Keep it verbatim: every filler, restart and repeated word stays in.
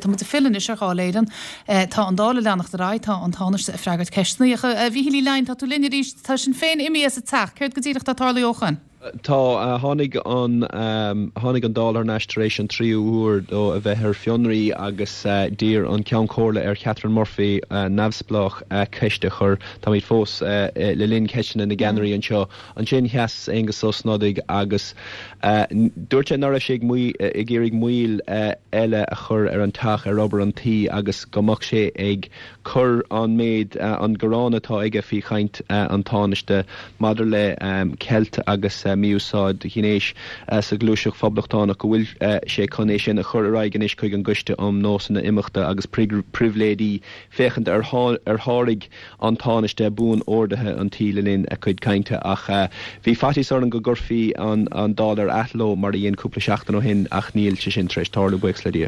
Tá muid ag filleadh anois ar Dháil Éireann tá an Dáil ag leanacht ar aghaidh tá an Tánaiste ag freagairt ceisteanna. A Mhíchíl Uí Leighin tá tú linn arís tá Sinn Féin imithe as an teach, céard go díreach atá tarlaithe ó shin. Tá tháinig an tháinig an Dáil thar n-ais tar éis an tríú huair dó a bheith ar fionraí agus d'iarr an Ceann Comhairle ar Catherine Murphy neamhspleách ceist a chur Táimid fós le linn ceisteanna na gceannairí anseo. Ansin sheas Aengus Ó Snodaigh agus dúirt sé nach raibh sé ag iarraidh moill eile a chur ar an teach ar obair an tí agus go mbeadh sé ag cur an méid an gearán atá aige faoi chaint an Tánaiste maidir le ceilt agus mí-úsáid ghnéis sa ghluaiseacht phoblachtánach go bhfuil sé chun é sin a chur ar aghaidh anois chuig an gCoiste um Nósanna Imeachta agus Pribhléidí féachaint ar ar sháraigh an Tánaiste buan-orduithe an tí le linn a cuid cainte ach bhí faitíos orainn go gcuirfí an an Dáil ar athló mar a dhein cúpla seachtain ó shin ach níl sé sin tar éis tarlú buíochas le Dia.